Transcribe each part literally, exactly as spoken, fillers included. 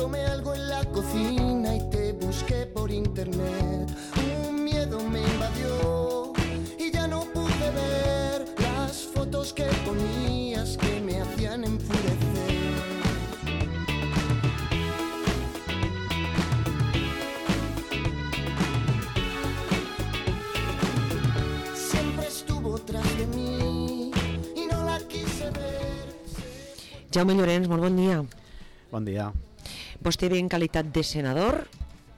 tomé algo en la cocina y te busqué por internet. Un miedo me invadió y ya no pude ver las fotos que ponías que me hacían enfurecer. Siempre estuvo tras de mí y no la quise ver. Jaume Llorens, molt bon dia. Bon dia. Vostè ve en qualitat de senador,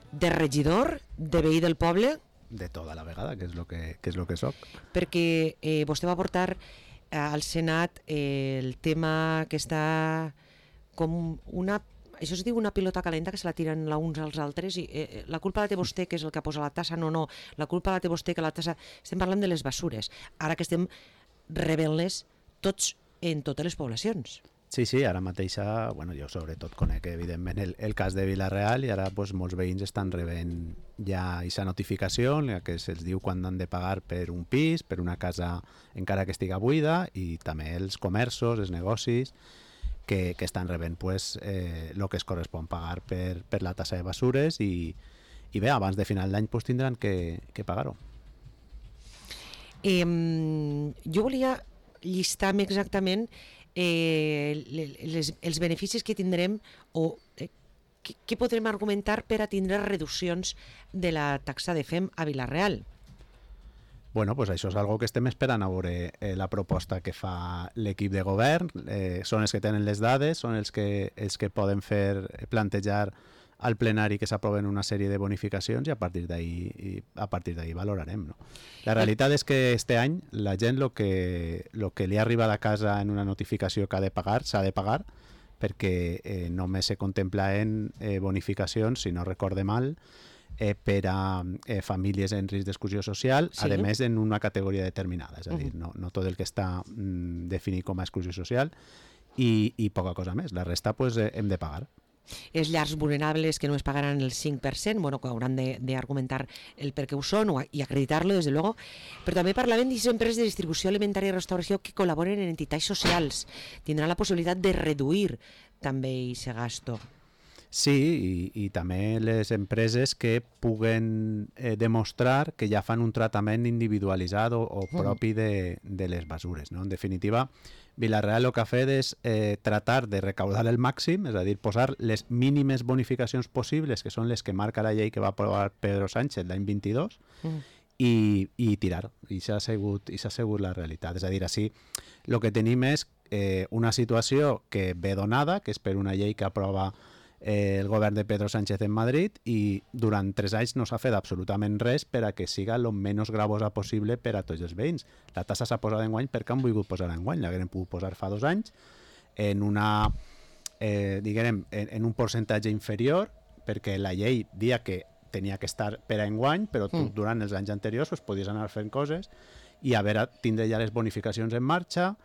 de regidor, de veí del poble? De tota la vegada, que és lo que, que, és lo que soc. Perquè eh, vostè va portar eh, al Senat eh, el tema que està com una... Això es diu una pilota calenta que se la tiren la uns als altres i eh, la culpa la té vostè, que és el que posa la tassa, no, no, la culpa la té vostè, que la tassa... Estem parlant de les bessures, ara que estem rebent-les tots en totes les poblacions. Sí, sí, ara mateix, bueno, jo sobretot conec evidentment el, el cas de Vila-real i ara pues, molts veïns estan rebent ja aquesta notificació en la que se'ls diu quan han de pagar per un pis, per una casa encara que estiga buida, i també els comerços, els negocis que, que estan rebent pues, eh, el que es correspon pagar per, per la tassa de bessures i, i bé, abans de final d'any pues, tindran que, que pagar-ho. Eh, jo volia llistar-me exactament eh, les, els beneficis que tindrem o eh, que, que podrem argumentar per a tindre reduccions de la taxa de F E M a Vila-real. Bueno, pues això és algo que estem esperant a veure eh, la proposta que fa l'equip de govern. Eh, són els que tenen les dades, són els que, els que poden fer plantejar al plenari que s'aproven una sèrie de bonificacions i a partir d'ahí a partir d'ahí valorarem. No? La realitat és que este any la gent lo que, lo que li ha arribat a casa en una notificació que ha de pagar, s'ha de pagar, perquè eh, només se contemplen eh, bonificacions, si no recorde mal, Eh, per a eh, famílies en risc d'exclusió social, sí. A més en una categoria determinada, és a dir, no, no tot el que està mm, definit com a exclusió social i, i poca cosa més, la resta pues, eh, hem de pagar. Les llars vulnerables que no es pagaran el cinc per cent, bueno, que hauran d'argumentar el per què ho són o, i acreditar-lo, des de luego, però també parlaven d'aquestes empreses de distribució alimentària i restauració que col·laboren en entitats socials, tindran la possibilitat de reduir també aquest gasto. Sí, i, i també les empreses que puguen eh, demostrar que ja fan un tractament individualitzat o, o propi de, de les bessures. No? En definitiva, Vila-real el que ha fet és eh, tratar de recaudar el màxim, és a dir, posar les mínimes bonificacions possibles, que són les que marca la llei que va aprovar Pedro Sánchez l'any vint-i-dos, mm. i, i tirar. I s'ha sigut, i s'ha sigut la realitat. És a dir, així, el que tenim és eh, una situació que ve donada, que és per una llei que aprova Eh, el govern de Pedro Sánchez en Madrid, i durant tres anys no s'ha fet absolutament res per a que siga el menys gravosa possible per a tots els veïns. La tassa s'ha posat enguany perquè han volgut posar enguany, l'haguem pogut posar fa dos anys en una eh, diguem, en, en un percentatge inferior, perquè la llei dia que tenia que estar per a enguany, però tu, mm. durant els anys anteriors pues, podies anar fent coses i haver tindre ja les bonificacions en marxa,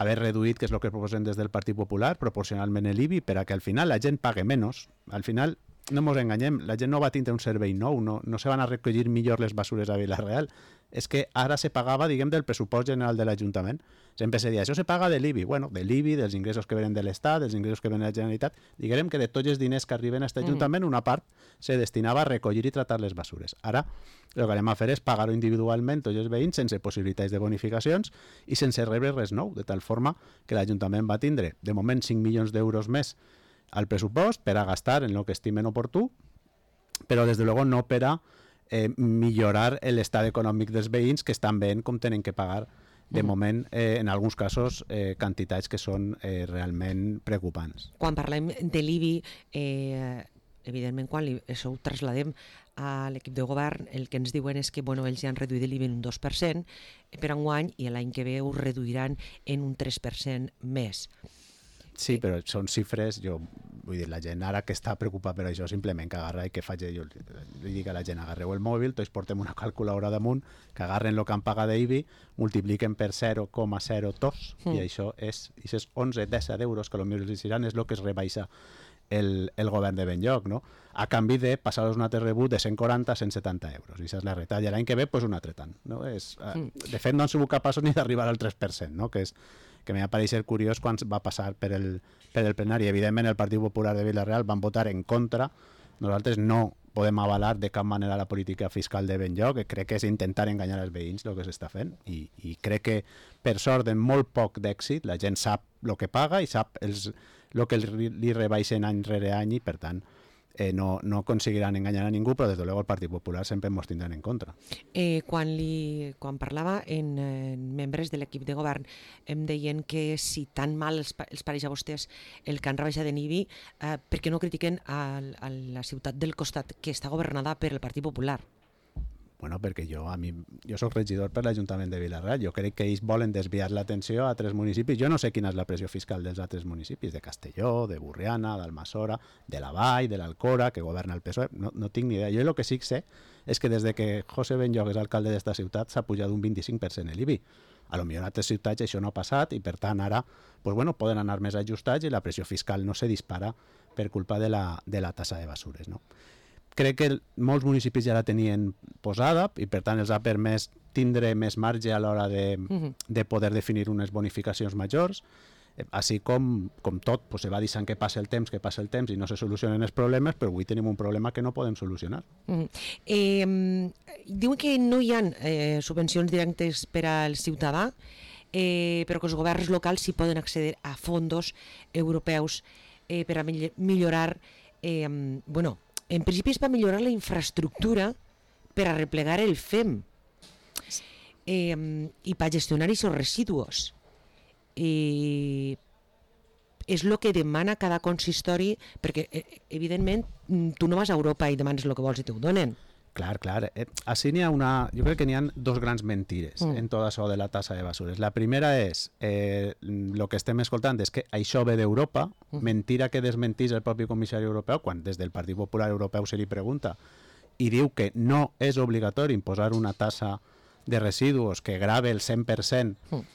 haver reduït, que és el que proposem des del Partit Popular, proporcionalment l'I B I, per a que al final la gent pague menys. Al final, no ens enganyem, la gent no va tindre un servei nou, no, no se van a recollir millor les bessures a Vila-real. És que ara se pagava, diguem, del pressupost general de l'Ajuntament. Sempre se deia, això se paga de l'I B I. Bueno, de l'I B I, dels ingressos que venen de l'Estat, dels ingressos que venen de la Generalitat. Diguem que de tots els diners que arriben a aquest Ajuntament, una part se destinava a recollir i tratar les bessures. Ara, el que anem a fer és pagar-ho individualment tots els veïns sense possibilitats de bonificacions i sense rebre res nou, de tal forma que l'Ajuntament va tindre, de moment, cinc milions d'euros més al pressupost per a gastar en el que estimen oportú, però des de luego no per a eh, millorar l'estat econòmic dels veïns, que estan veient com tenen que pagar de moment, eh, en alguns casos, eh, quantitats que són eh, realment preocupants. Quan parlem de l'I B I, eh, evidentment, quan li, això ho trasladem a l'equip de govern, el que ens diuen és que bueno, ells ja han reduït l'I B I en un dos per cent per enguany i l'any que ve ho reduiran en un tres per cent més. Sí, però són xifres, jo vull dir, la gent ara que està preocupada per això, simplement que agarra i que faci, jo li dic a la gent, agarreu el mòbil, tots portem una calculadora damunt, que agarren el que han pagat d'I B I, multipliquen per zero coma zero dos mm. i això és, és onze disset euros que potser els diran, és el que es rebaixa el, el govern de Benlloc, no? A canvi de passar-los un altre rebut de cent quaranta a cent setanta euros, i això és la retalla. L'any que ve, pues, un altre tant. No? És, mm. De fet, no han sigut capaços ni d'arribar al tres per cent, no? Que és que m'ha pareixer curiós quan va passar per el, per el plenari. Evidentment el Partit Popular de Vila-real van votar en contra. Nosaltres no podem avalar de cap manera la política fiscal de Benlloc, que crec que és intentar enganyar els veïns el que s'està fent, i, i crec que per sort en molt poc d'èxit la gent sap el que paga i sap els, el que li, li rebaixen any rere any, i per tant eh, no, no aconseguiran enganyar a ningú, però des de luego el Partit Popular sempre ens tindran en contra. Eh, quan, li, quan parlava en, en membres de l'equip de govern em deien que si tan mal els, els pareix a vostès el que han rebaixat en I B I, eh, per què no critiquen a, a la ciutat del costat que està governada per el Partit Popular? Bueno, perquè jo, a mi, jo soc regidor per l'Ajuntament de Vila-real. Jo crec que ells volen desviar l'atenció a altres municipis. Jo no sé quina és la pressió fiscal dels altres municipis, de Castelló, de Burriana, d'Almassora, de la Vall, de l'Alcora, que governa el P S O E. No, no tinc ni idea. Jo el que sí que sé és que des de que José Benlloc és alcalde d'esta ciutat s'ha pujat un vint-i-cinc per cent l'I B I. A lo millor en altres ciutats això no ha passat i per tant ara pues bueno, poden anar més ajustats i la pressió fiscal no se dispara per culpa de la, de la tassa de basures, no? Crec que molts municipis ja la tenien posada i per tant els ha permès tindre més marge a l'hora de, uh-huh. de poder definir unes bonificacions majors, eh, així com, com tot, pues, se va deixant que passa el temps, que passa el temps i no se solucionen els problemes, però avui tenim un problema que no podem solucionar. Uh-huh. Eh, diuen que no hi ha eh, subvencions directes per al ciutadà, eh, però que els governs locals sí poden accedir a fondos europeus eh, per a millorar, eh, bueno, en principi és per millorar la infraestructura per a replegar el F E M eh, i per gestionar aquests residus. Eh, és el que demana cada consistori, perquè eh, evidentment tu no vas a Europa i demanes el que vols i t'ho donen. Clar, clar. Eh, així n'hi ha una... Jo crec que n'hi ha dos grans mentires mm. en tot això de la tassa de basures. La primera és, eh, el que estem escoltant és que això ve d'Europa, mm. mentira que desmentís el propi comissari europeu, quan des del Partit Popular Europeu se li pregunta i diu que no és obligatori imposar una tassa de residus que grave el cent per cent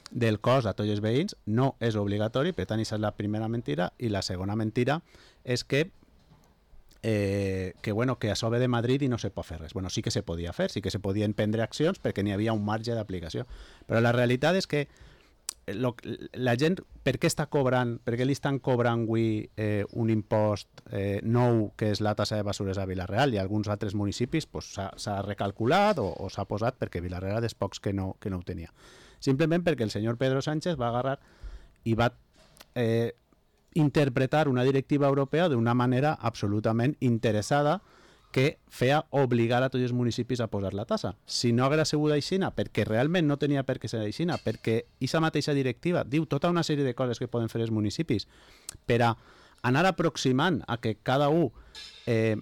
del cost a tots els veïns, no és obligatori, per tant, aquesta és la primera mentira, i la segona mentira és que Eh, que, bueno, que això ve de Madrid i no se pot fer res. Bueno, sí que se podia fer, sí que se podien prendre accions perquè n'hi havia un marge d'aplicació. Però la realitat és que lo, la gent, per què està cobrant, per què li estan cobrant avui eh, un impost eh, nou, que és la tassa de basures a Vila-real, i a alguns altres municipis pues, s'ha recalculat o, o s'ha posat perquè Vila-real és pocs que no, que no ho tenia. Simplement perquè el senyor Pedro Sánchez va agarrar i va... Eh, interpretar una directiva europea d'una manera absolutament interessada que feia obligar a tots els municipis a posar la tassa. Si no hagués sigut aixina, perquè realment no tenia per què ser aixina, perquè aquesta mateixa directiva diu tota una sèrie de coses que poden fer els municipis per a anar aproximant a que cada un eh,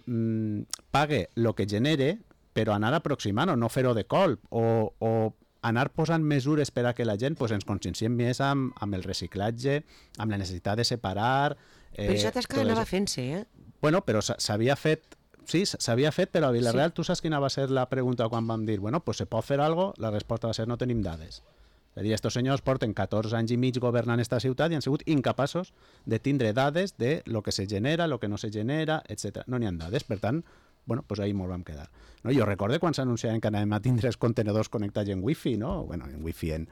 pague el que genere, però anar aproximant o no fer-ho de colp, o, o anar posant mesures per a que la gent pues, ens conscienciem més amb, amb el reciclatge, amb la necessitat de separar... Eh, però això tasca anava fent-se, eh? Bueno, però s'havia fet... Sí, s'havia fet, però a Vila-real sí. Tu saps quina va ser la pregunta quan vam dir bueno, pues se pot fer alguna cosa? La resposta va ser no tenim dades. És a dir, estos senyors porten catorze anys i mig governant esta ciutat i han sigut incapaços de tindre dades de lo que se genera, lo que no se genera, etcètera. No n'hi ha dades, per tant, bueno, pues ahí ens vam quedar. No, jo recordo quan s'anunciaven que anàvem a tindre els contenedors connectats en wifi, no? Bueno, en wifi, en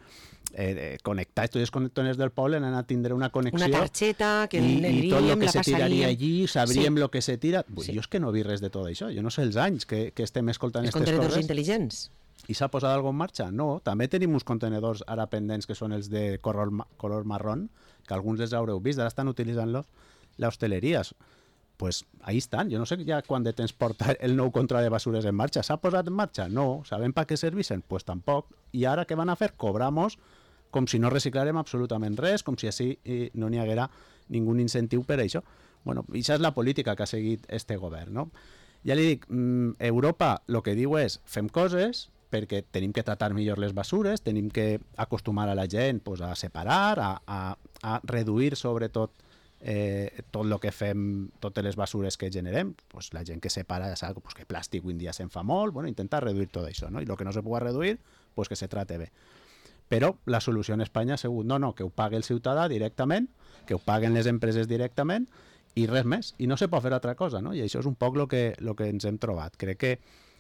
eh, connectats, tots els contenidors del poble han a tindre una connexió. Una targeta que i, i tot el que la se tiraria passaria. allí, sabríem el sí. que se tira. Ui, sí. Jo és que no vi res de tot això. Jo no sé els anys que, que estem escoltant aquestes coses. Els contenidors intel·ligents. I s'ha posat alguna en marxa? No. També tenim uns contenedors ara pendents que són els de color, color marrón, que alguns els haureu vist, ara estan utilitzant-los l'hostaleria. Pues ahí estan. Jo no sé ja quan de temps porta el nou control de basures en marxa. S'ha posat en marxa? No. Sabem per què servissen? Pues tampoc. I ara què van a fer? Cobramos com si no reciclarem absolutament res, com si així no n'hi haguera ningú incentiu per això. Bueno, això és la política que ha seguit este govern, no? Ja li dic, Europa el que diu és fem coses perquè tenim que tratar millor les basures, tenim que acostumar a la gent pues, a separar, a, a, a reduir sobretot eh, tot el que fem, totes les basures que generem, pues, la gent que separa ja sap pues, que plàstic avui en dia se'n fa molt, bueno, intentar reduir tot això, no? I el que no se pugui reduir, pues, que se trate bé. Però la solució en Espanya ha sigut no, no, que ho pagui el ciutadà directament, que ho paguen les empreses directament, i res més, i no se pot fer altra cosa, no? I això és un poc el que, lo que ens hem trobat. Crec que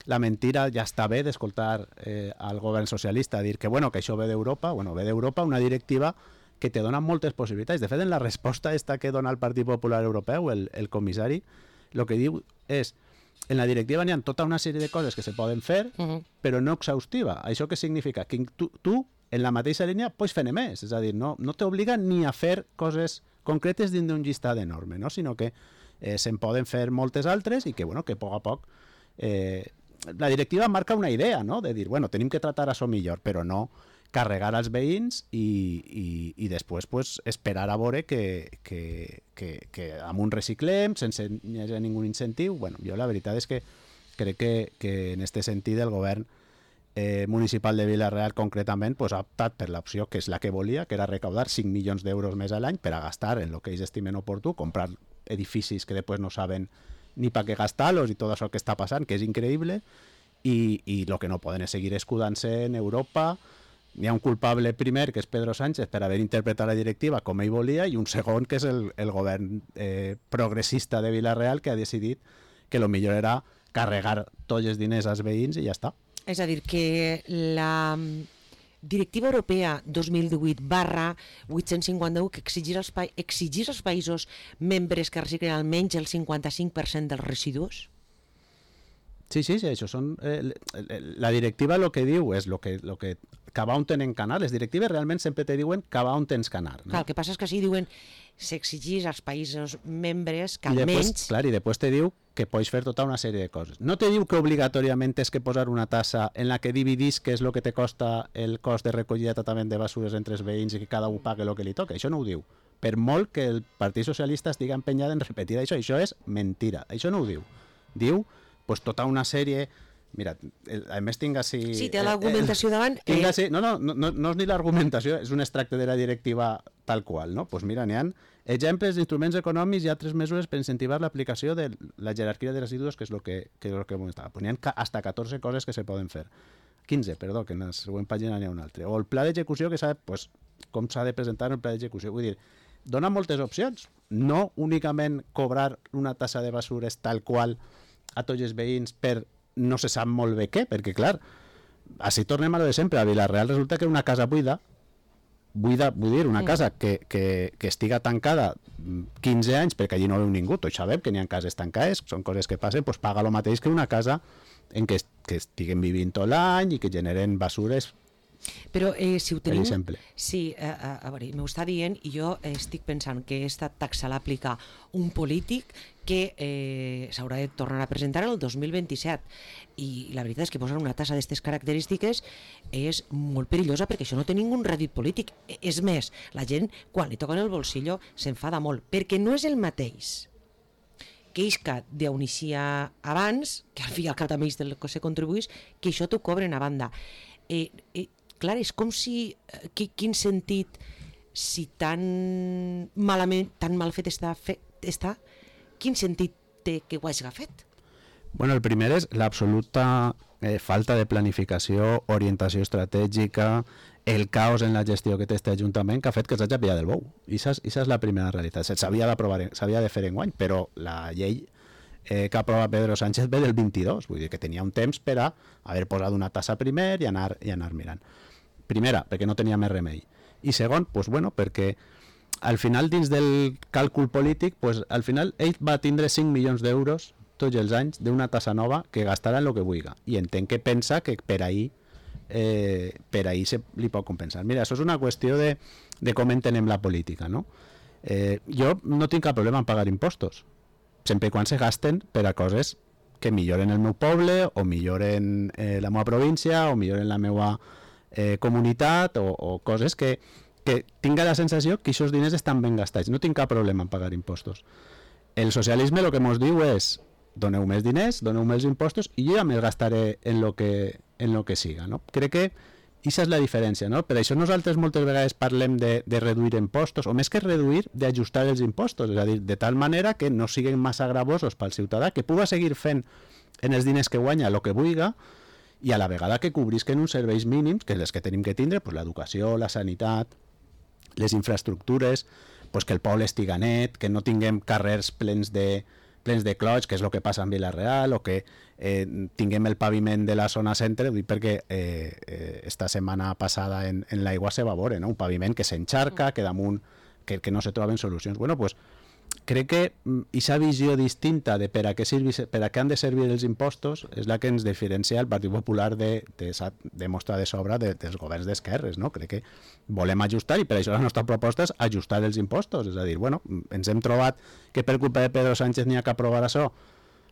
la mentira ja està bé d'escoltar eh, al govern socialista dir que, bueno, que això ve d'Europa, bueno, ve d'Europa una directiva que te donen moltes possibilitats. De fet, en la resposta esta que dona el Partit Popular Europeu, el, el comissari, el que diu és en la directiva n'hi ha tota una sèrie de coses que se poden fer, uh-huh. però no exhaustiva. Això què significa? Que tu, tu en la mateixa línia, pots fer més. És a dir, no, no t'obliga ni a fer coses concretes dins d'un llistat enorme, no? Sinó que eh, se'n poden fer moltes altres i que, bueno, que a poc a poc... Eh, la directiva marca una idea, no? De dir, bueno, tenim que tratar això millor, però no carregar als veïns i, i, i després pues, esperar a veure que, que, que, que amb un reciclem, sense ni hagi ningú incentiu. Bueno, jo la veritat és que crec que, que en aquest sentit el govern eh, municipal de Vila-real concretament pues, ha optat per l'opció que és la que volia, que era recaudar cinc milions d'euros més a l'any per a gastar en el que ells estimen oportú, comprar edificis que després no saben ni per què gastar-los i tot això que està passant, que és increïble, i, i el que no poden és seguir escudant-se en Europa. Hi ha un culpable primer, que és Pedro Sánchez, per haver interpretat la directiva com ell volia, i un segon, que és el, el govern eh, progressista de Vila-real, que ha decidit que el millor era carregar tots els diners als veïns i ja està. És a dir, que la Directiva Europea dos mil divuit barra vuit-cents cinquanta-u que exigís als, pa exigís als països membres que reciclen almenys el cinquanta-cinc per cent dels residus? Sí, sí, sí, això són... Eh, la directiva el que diu és el que, lo que cap on tenen que anar. Les directives realment sempre te diuen cap on tens que anar. No? Clar, el que passa és que sí diuen s'exigís als països membres que I almenys... Després, clar, i després te diu que pots fer tota una sèrie de coses. No te diu que obligatòriament tens que posar una tassa en la que dividís què és el que te costa el cost de recollida i tractament de basures entre els veïns i que cada un pague el que li toca. Això no ho diu. Per molt que el Partit Socialista estigui empenyat en repetir això, això és mentira. Això no ho diu. Diu pues tota una sèrie... Mira, a més tinc així... Sí, té l'argumentació eh, davant... Tinc així, no, no, no, no és ni l'argumentació, és un extracte de la directiva tal qual, no? Pues mira, n'hi ha exemples d'instruments econòmics i altres mesures per incentivar l'aplicació de la jerarquia de residus, que és el que, que, és lo que comentava. Pues n'hi ha hasta catorze coses que se poden fer. quinze, perdó, que en la següent pàgina n'hi ha un altre. O el pla d'execució, que sap pues, com s'ha de presentar el pla d'execució. Vull dir, dona moltes opcions. No únicament cobrar una tassa de basures tal qual a tots els veïns per no se sap molt bé què, perquè clar, així tornem a lo de sempre. A Vila-real resulta que una casa buida, buida, vull dir, una casa que, que, que estiga tancada quinze anys perquè allí no veu ningú, tots sabem que n'hi ha cases tancades, són coses que passen, doncs paga el mateix que una casa en què, que estiguen vivint tot l'any i que generen basures. Però eh, si ho tenim... Sí, a, a, a veure, m'ho està dient i jo estic pensant que aquesta taxa l'aplica un polític que eh, s'haurà de tornar a presentar el dos mil vint-i-set i la veritat és que posar una tassa d'aquestes característiques és molt perillosa perquè això no té ningun rèdit polític. És més, la gent quan li toquen el bolsillo s'enfada molt perquè no és el mateix que isca d'on eixia abans, que al fi i al cap també és del que se contribuís, que això t'ho cobren a banda. Eh, eh, clar, és com si... Qui, quin sentit, si tan malament, tan mal fet està, fe, està, quin sentit té que ho hagi fet? Bueno, el primer és l'absoluta eh, falta de planificació, orientació estratègica, el caos en la gestió que té este Ajuntament que ha fet que s'hagi pillat del bou. I això és la primera realitat. S'havia d'aprovar, s'havia de fer enguany, però la llei eh, que aprova Pedro Sánchez ve del vint-i-dos, vull dir que tenia un temps per a haver posat una tassa primer i anar, i anar mirant. Primera, perquè no tenia més remei. I segon, pues, bueno, perquè al final dins del càlcul polític, pues, al final ell va tindre cinc milions d'euros tots els anys d'una tassa nova que gastarà en el que vulgui. I entenc que pensa que per ahir eh, per ahir se li pot compensar. Mira, això és una qüestió de, de com entenem la política, no? Eh, jo no tinc cap problema en pagar impostos, sempre i quan se gasten per a coses que milloren el meu poble, o milloren eh, la meva província, o milloren la meva eh, comunitat, o, o coses que, que tinga la sensació que aquests diners estan ben gastats. No tinc cap problema en pagar impostos. El socialisme el que ens diu és doneu més diners, doneu més impostos i jo ja me'ls gastaré en lo que, en lo que siga, no? Crec que aquesta és la diferència, no? Per això nosaltres moltes vegades parlem de, de reduir impostos, o més que reduir, d'ajustar els impostos, és a dir, de tal manera que no siguin massa gravosos pel ciutadà, que puga seguir fent en els diners que guanya el que vulgui i a la vegada que cobrisquen uns serveis mínims, que és els que tenim que tindre, pues, l'educació, la sanitat, les infraestructures, pues, que el poble estiga net, que no tinguem carrers plens de plens de clots, que és el que passa en Vila-real, o que eh, tinguem el paviment de la zona centre, ho dic perquè eh, eh, esta setmana passada en, en l'aigua se va veure, no? Un paviment que s'encharca, que damunt, que, que no se troben solucions. Bueno, pues, crec que aquesta visió distinta de per a què, servi, per a què han de servir els impostos és la que ens diferencia el Partit Popular de, de, de mostra de sobra de, dels governs d'esquerres, no? Crec que volem ajustar i per això la nostra proposta és ajustar els impostos, és a dir, bueno, ens hem trobat que per culpa de Pedro Sánchez n'hi ha que aprovar això.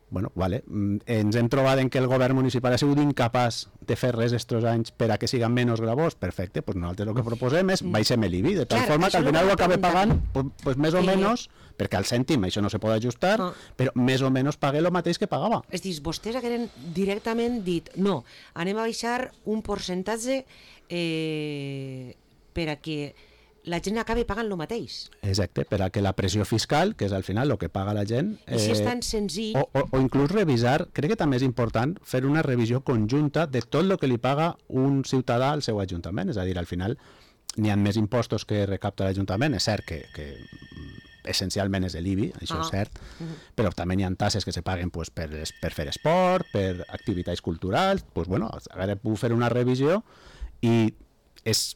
Bueno, vale. Ens hem trobat en que el govern municipal ha sigut incapaç de fer res estos anys per a que siguin menys gravós. Perfecte, doncs nosaltres el que proposem és baixem l'I B I, de tal Clar, forma que al final ho acabe pagant pues, pues, més o eh... menys, perquè al cèntim això no se pot ajustar, ah. però més o menys pague el mateix que pagava. És dir, vostès hagueren directament dit no, anem a baixar un percentatge eh, per a que la gent acabi pagant el mateix. Exacte, per a que la pressió fiscal, que és al final el que paga la gent... Eh, I si és tan senzill... O, o, o inclús revisar, crec que també és important fer una revisió conjunta de tot el que li paga un ciutadà al seu ajuntament. És a dir, al final n'hi ha més impostos que recapta l'Ajuntament. És cert que, que essencialment és l'I B I, això ah. és cert, uh-huh. però també n'hi ha tasses que se paguen pues, per, per fer esport, per activitats culturals... Pues, bueno, ara puc fer una revisió i és...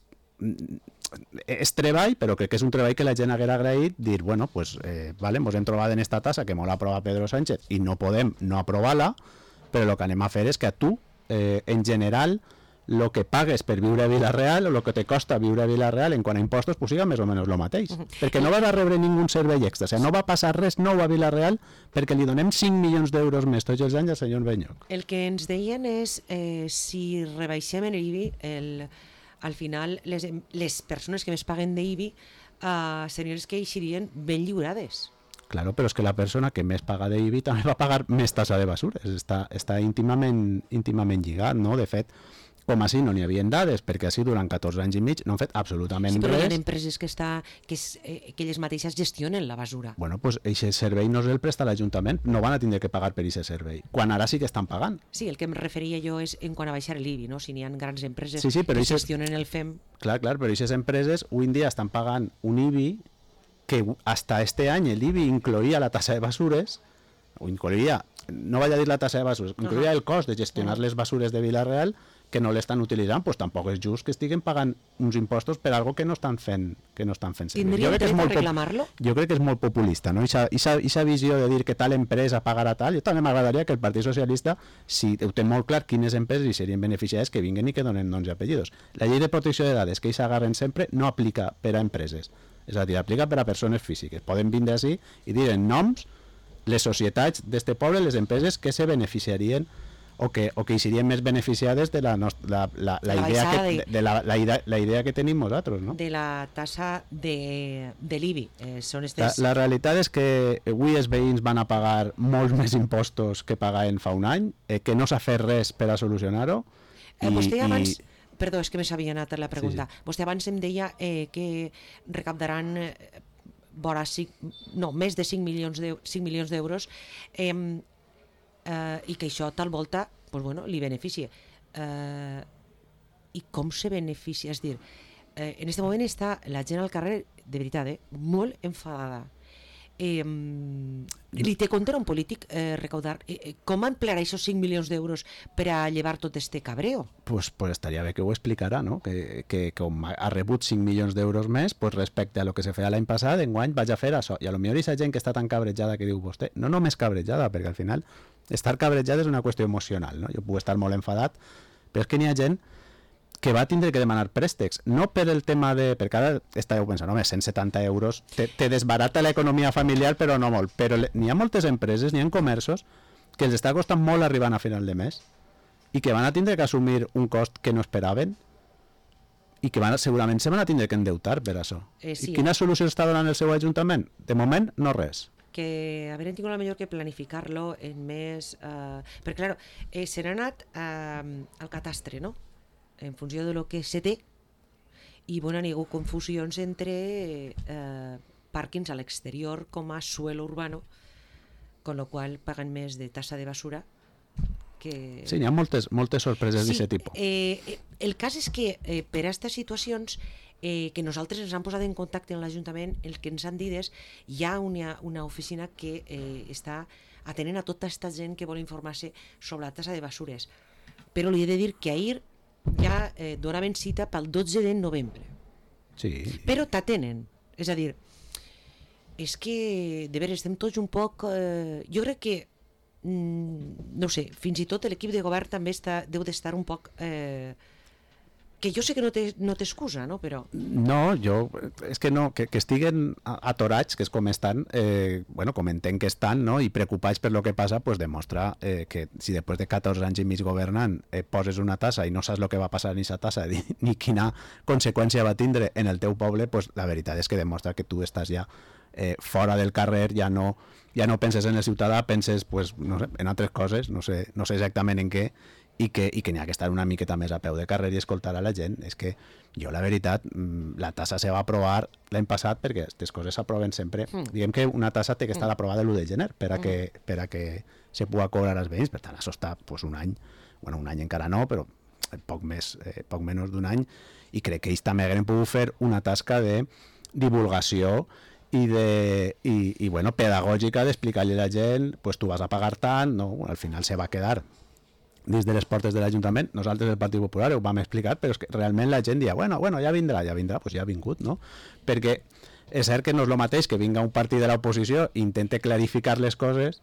és treball, però crec que és un treball que la gent haguera agraït, dir, bueno, pues, eh, vale, ens hem trobat en esta tassa que molt aprova Pedro Sánchez i no podem no aprovar-la, però el que anem a fer és que a tu, eh, en general, el que pagues per viure a Vila-real o el que te costa viure a Vila-real en quant a impostos, pues siga més o menys el mateix. Uh-huh. Perquè no vas a rebre ningú servei extra, o sigui, no va passar res nou a Vila-real perquè li donem cinc milions d'euros més tots els anys al senyor Benyoc. El que ens deien és, eh, si rebaixem en l'I B I, el... al final les, les persones que més paguen d'I B I uh, serien les que eixirien ben lliurades. Claro, però és que la persona que més paga d'I B I també va pagar més tassa de basures, està, està íntimament, íntimament lligat, no? De fet, com així no n'hi havia dades, perquè així durant catorze anys i mig no han fet absolutament sí, però res. Però hi ha empreses que, està, que, és, eh, que elles mateixes gestionen la basura. Bueno, doncs pues, aquest servei no el presta l'Ajuntament, no van a tindre que pagar per aquest servei, quan ara sí que estan pagant. Sí, el que em referia jo és en quant a baixar l'I B I, no? Si n'hi ha grans empreses sí, sí, que ixes, gestionen el F E M... Clar, clar, però aquestes empreses avui en dia estan pagant un I B I que hasta este any l'I B I incloïa la tassa de basures, o incloïa, no vaig a dir la tassa de basures, incloïa uh-huh. el cost de gestionar uh-huh. les basures de Vila-real, que no l'estan utilitzant, doncs tampoc és just que estiguen pagant uns impostos per algo que no estan fent, que no estan fent servir. Tindria dret a reclamar-lo? Jo crec que és molt populista, no? Ixa visió de dir que tal empresa pagarà tal, jo també m'agradaria que el Partit Socialista, si ho té molt clar quines empreses hi serien beneficiades, que vinguen i que donen noms i apellidos. La llei de protecció de dades, que ells agarren sempre, no aplica per a empreses, és a dir, aplica per a persones físiques. Poden vindre així i dir en noms les societats d'este poble, les empreses que se beneficiarien o que, o que hi serien més beneficiades de la, nostra, la, la, la, la, idea, que, de, de la, la, idea, la idea que tenim nosaltres, no? De la tassa de, de l'I B I. Eh, són estes... la, la realitat és que avui els veïns van a pagar molts més impostos que pagaven fa un any, eh, que no s'ha fet res per a solucionar-ho. Eh, vostè abans... I... Perdó, és que me s'havia anat la pregunta. Sí, sí. Vostè abans em deia eh, que recaptaran eh, vora cinc, no, més de cinc milions d'euros eh, Uh, i que això tal volta pues bueno, li beneficia. Uh, I com se beneficia? És dir, uh, en aquest moment està la gent al carrer, de veritat, eh, molt enfadada. Eh, li té compte un polític eh, recaudar eh, com emplearà aquests cinc milions d'euros per a llevar tot este cabreo? Pues, pues estaria bé que ho explicarà, no? Que, que com ha rebut cinc milions d'euros més, pues respecte a lo que se feia l'any passat, enguany vaig a fer això. I a lo millor aquesta gent que està tan cabrejada que diu vostè, no només cabrejada, perquè al final estar cabrejat és una qüestió emocional, no? Jo puc estar molt enfadat, però és que n'hi ha gent que va tindre que demanar préstecs, no per el tema de... perquè ara estàveu pensant, home, cent setanta euros te, te desbarata l'economia familiar, però no molt, però n'hi ha moltes empreses, n'hi ha comerços que els està costant molt arribant a final de mes i que van a tindre que assumir un cost que no esperaven i que van, segurament se van a tindre que endeutar per això. Eh, sí, I quina solució està donant el seu ajuntament? De moment, no res. Que haver tingut millor que planificar-lo en més... Uh, perquè, clar, eh, se n'ha anat uh, al catastre, no?, en funció de lo que se té, i bueno, hi ha hagut confusions entre eh, pàrquings a l'exterior com a suelo urbano, con lo qual paguen més de tassa de basura que... Sí, n'hi ha moltes, moltes sorpreses sí, d'aquest tipus. Eh, el cas és que eh, per a aquestes situacions eh, que nosaltres ens han posat en contacte amb l'Ajuntament, el que ens han dit és hi ha una, una oficina que eh, està atenent a tota aquesta gent que vol informar-se sobre la tassa de basures. Però li he de dir que ahir ja eh, donaven cita pel dotze de novembre. Sí. Però t'atenen. És a dir, és que, de veres, estem tots un poc... Eh, jo crec que, mm, no sé, fins i tot l'equip de govern també està, deu d'estar un poc... Eh, que jo sé que no té, no té excusa, no? Però... No, jo... És que no, que, que estiguen atorats, que és com estan, eh, bueno, com entenc que estan, no? I preocupats per lo que passa, pues demostra eh, que si després de catorze anys i mig governant eh, poses una tassa i no saps el que va passar en aquesta tassa ni, ni quina conseqüència va tindre en el teu poble, pues la veritat és que demostra que tu estàs ja eh, fora del carrer, ja no, ja no penses en el ciutadà, penses pues, no sé, en altres coses, no sé, no sé exactament en què, i que, i que n'hi ha que estar una miqueta més a peu de carrer i escoltar a la gent. És que jo, la veritat, la tassa se va aprovar l'any passat perquè aquestes coses s'aproven sempre. Mm. Diguem que una tassa té que estar aprovada l'u de gener per a que, per a que se pugui cobrar als veïns. Per tant, això està pues, un any, bueno, un any encara no, però poc més, eh, poc menys d'un any, i crec que ells també hagueren pogut fer una tasca de divulgació i, de, i, i bueno, pedagògica d'explicar-li a la gent pues, tu vas a pagar tant, no? Al final se va quedar dins de les portes de l'Ajuntament. Nosaltres, el Partit Popular, ho vam explicar, però és que realment la gent dia, bueno, bueno, ja vindrà, ja vindrà, doncs ja ha vingut, no? Perquè és cert que no és el mateix que vinga un partit de l'oposició i intente clarificar les coses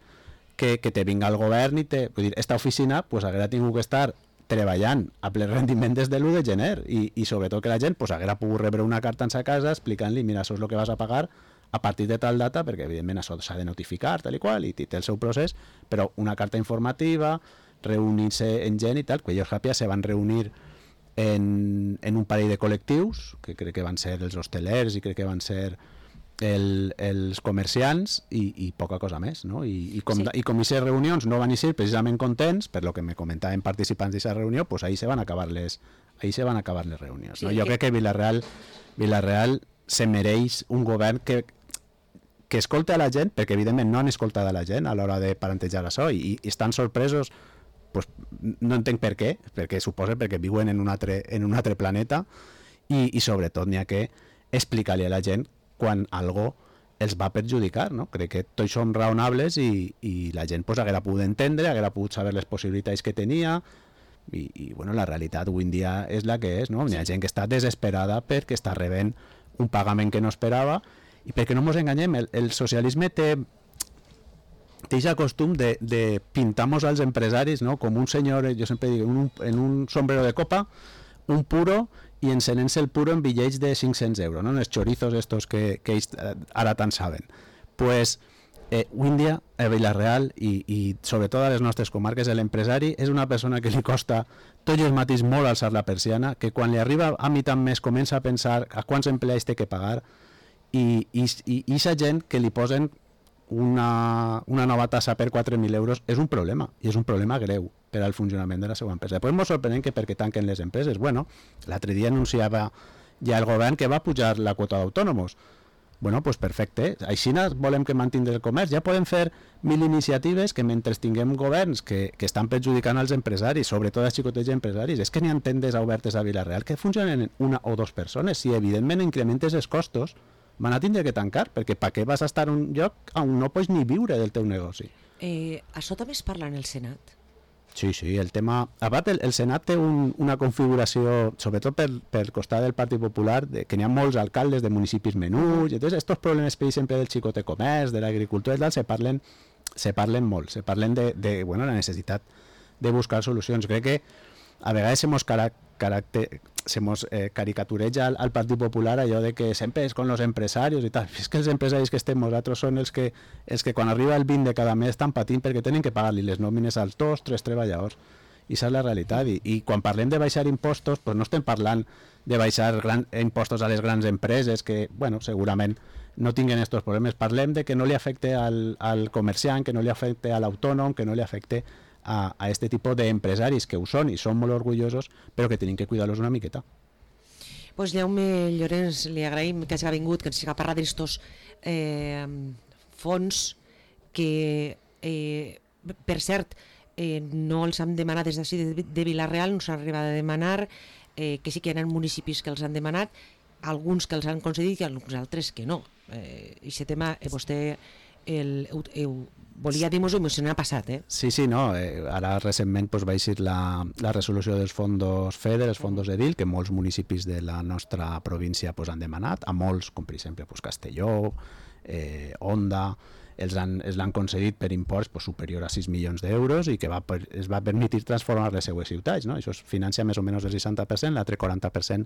que, que te vinga el govern i te... Vull dir, esta oficina pues, haguera tingut que estar treballant a ple rendiment des de l'u de gener i, i sobretot que la gent pues, haguera pogut rebre una carta en sa casa explicant-li, mira, això és el que vas a pagar a partir de tal data, perquè evidentment això s'ha de notificar, tal i qual, i té el seu procés, però una carta informativa, reunir-se en gent i tal, que ells ràpid se van reunir en, en un parell de col·lectius, que crec que van ser els hostelers i crec que van ser el, els comerciants i, i poca cosa més, no? I, i com sí. I com aquestes reunions no van ser precisament contents, per lo que me comentaven participants d'aquesta reunió, pues ahí se van acabar les, ahí se van acabar les reunions. Sí, no? Jo que... crec que Vila-real, Vila-real se mereix un govern que que escolta a la gent, perquè evidentment no han escoltat a la gent a l'hora de plantejar això i, i estan sorpresos, pues, no entenc per què, perquè suposa perquè viuen en un altre, en un altre planeta i, i sobretot n'hi ha que explicar-li a la gent quan algo els va perjudicar, no? Crec que tots som raonables i, i la gent pues, haguera pogut entendre, haguera pogut saber les possibilitats que tenia i, i bueno, la realitat avui en dia és la que és, no? N'hi ha gent que està desesperada perquè està rebent un pagament que no esperava i perquè no ens enganyem, el, el socialisme té té aquest costum de, de pintar-nos als empresaris, no? Com un senyor, jo sempre dic, un, en un sombrero de copa, un puro i encenent-se el puro en bitllets de cinc-cents euros, no? Els chorizos estos que, que ells ara tant saben. Pues eh, avui en dia a Vila-real i, i sobretot a les nostres comarques l'empresari és una persona que li costa tots els matins molt alçar la persiana, que quan li arriba a mi tant més comença a pensar a quants empleats té que pagar i aquesta gent que li posen una, una nova tassa per quatre mil euros és un problema, i és un problema greu per al funcionament de la seva empresa. Després ens sorprèn que perquè tanquen les empreses. Bueno, l'altre dia anunciava ja el govern que va pujar la quota d'autònoms. Bueno, doncs perfecte. Així volem que mantingui el comerç. Ja podem fer mil iniciatives que mentre tinguem governs que, que estan perjudicant als empresaris, sobretot als xicotets empresaris, és que n'hi ha tendes obertes a Vila-real que funcionen una o dues persones. Si evidentment incrementes els costos, van a tindre que tancar, perquè per què vas a estar en un lloc on no pots ni viure del teu negoci? Eh, això també es parla en el Senat? Sí, sí, el tema... A part, el, el Senat té un, una configuració, sobretot per, per costat del Partit Popular, de, que n'hi ha molts alcaldes de municipis menuts, i entonces estos problemes, per exemple, del xicot de comerç, de l'agricultura i tal, se parlen, se parlen molt, se parlen de, de bueno, la necessitat de buscar solucions. Crec que a vegades se mos cara, caracter, se mos eh, caricatureja al, al Partit Popular allò de que sempre és con los empresarios i tal. És que els empresaris que estem nosaltres són els que, els que quan arriba el vint de cada mes estan patint perquè tenen que pagar-li les nòmines als dos, tres treballadors. I això és la realitat. I, i quan parlem de baixar impostos, pues no estem parlant de baixar gran, impostos a les grans empreses que, bueno, segurament no tinguen aquests problemes. Parlem de que no li afecte al, al comerciant, que no li afecte a l'autònom, que no li afecte a, a este tipus d'empresaris que ho són i són molt orgullosos, però que tenim que cuidar-los una miqueta. Pues Jaume Llorenç, li agraïm que hagi vingut, que ens hagi parlat d'estos eh, fons que, eh, per cert, eh, no els han demanat des d'ací de, de Vila-real, no s'han arribat a demanar, eh, que sí que hi ha municipis que els han demanat, alguns que els han concedit i alguns altres que no. Eh, aquest tema eh, vostè el, el, el, volia dir-nos-ho i se n'ha passat, eh? Sí, sí, no. Eh, ara recentment pues, va eixir la, la resolució dels fondos FEDER, els fondos EDIL, que molts municipis de la nostra província pues, han demanat, a molts, com per exemple pues, Castelló, eh, Onda, els han, els l'han concedit per imports pues, superior a sis milions d'euros i que va, per, es va permetre transformar les seues ciutats, no? Això es financia més o menys el seixanta per cent, l'altre quaranta per cent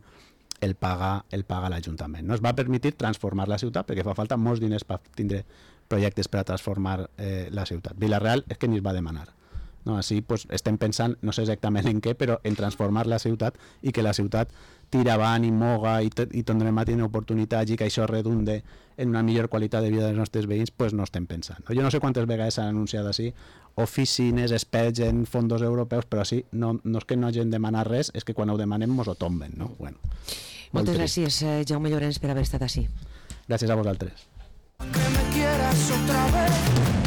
el paga el paga l'Ajuntament. No? Es va permetre transformar la ciutat perquè fa falta molts diners per tindre projectes per a transformar eh, la ciutat. Vila-real és que ni es va demanar. No? Així pues, estem pensant, no sé exactament en què, però en transformar la ciutat i que la ciutat tira avant i moga i, i tindrem a tenir oportunitats i que això redunde en una millor qualitat de vida dels nostres veïns, pues no estem pensant. Jo no sé quantes vegades s'han anunciat així oficines, experts en fondos europeus, però sí, no, no és que no hagin demanat res, és que quan ho demanem mos ho tomben. No? Bueno, Moltes gràcies, eh, Jaume Llorenç, per haver estat així. Gràcies a vosaltres. Que me quieras otra vez.